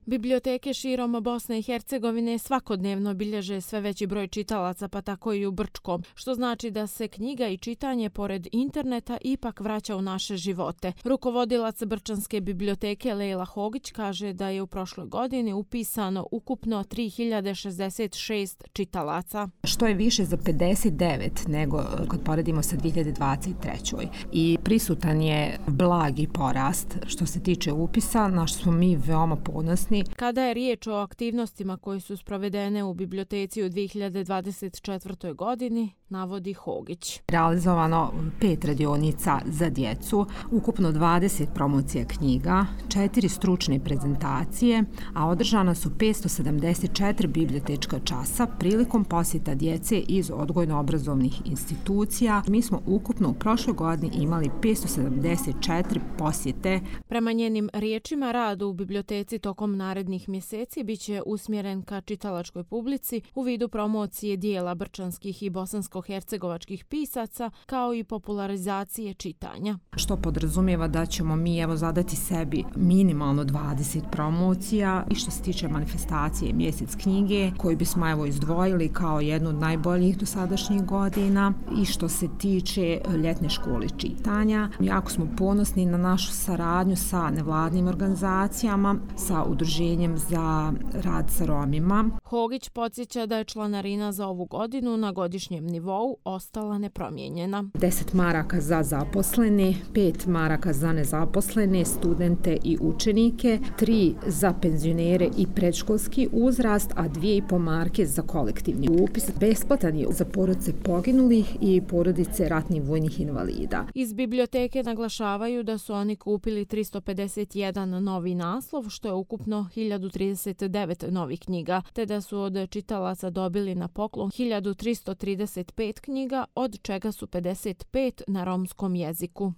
Biblioteke širom Bosne i Hercegovine svakodnevno bilježe sve veći broj čitalaca, pa tako i u Brčkom, što znači da se knjiga i čitanje pored interneta ipak vraća u naše živote. Rukovodilac Brčanske biblioteke Lejla Hogić kaže da je u prošloj godini upisano ukupno 3066 čitalaca. Što je više za 59 nego kad poredimo sa 2023. I prisutan je blagi porast što se tiče upisa, na što smo mi veoma ponosni. Kada je riječ o aktivnostima koje su sprovedene u biblioteci u 2024. godini, navodi Hogić. Realizovano 5 radionica za djecu, ukupno 20 promocija knjiga, 4 stručne prezentacije, a održana su 574 bibliotečka časa prilikom posjeta djece iz odgojno-obrazovnih institucija. Mi smo ukupno u prošloj godini imali 574 posjete. Prema njenim riječima, rad u biblioteci tokom narednih mjeseci biće usmjeren ka čitalačkoj publici u vidu promocije dijela brčanskih i bosansko-hercegovačkih pisaca, kao i popularizacije čitanja. Što podrazumijeva da ćemo mi zadati sebi minimalno 20 promocija i što se tiče manifestacije Mjesec knjige, koju bismo izdvojili kao jednu od najboljih dosadašnjih godina, i što se tiče ljetne škole čitanja. Jako smo ponosni na našu saradnju sa nevladnim organizacijama, sa Udruženjem za rad sa Romima. Hogić podsjeća da je članarina za ovu godinu na godišnjem nivou ostala nepromijenjena. 10 maraka za zaposlene, 5 maraka za nezaposlene, studente i učenike, 3 za penzionere i predškolski uzrast, a 2,5 marke za kolektivni upis. Besplatan je za porodice poginulih i porodice ratnih vojnih invalida. Iz biblioteke naglašavaju da su oni kupili 351 novi naslov, što je ukupno 1039 novih knjiga, te da su od čitalaca dobili na poklon 1335 knjiga, od čega su 55 na romskom jeziku.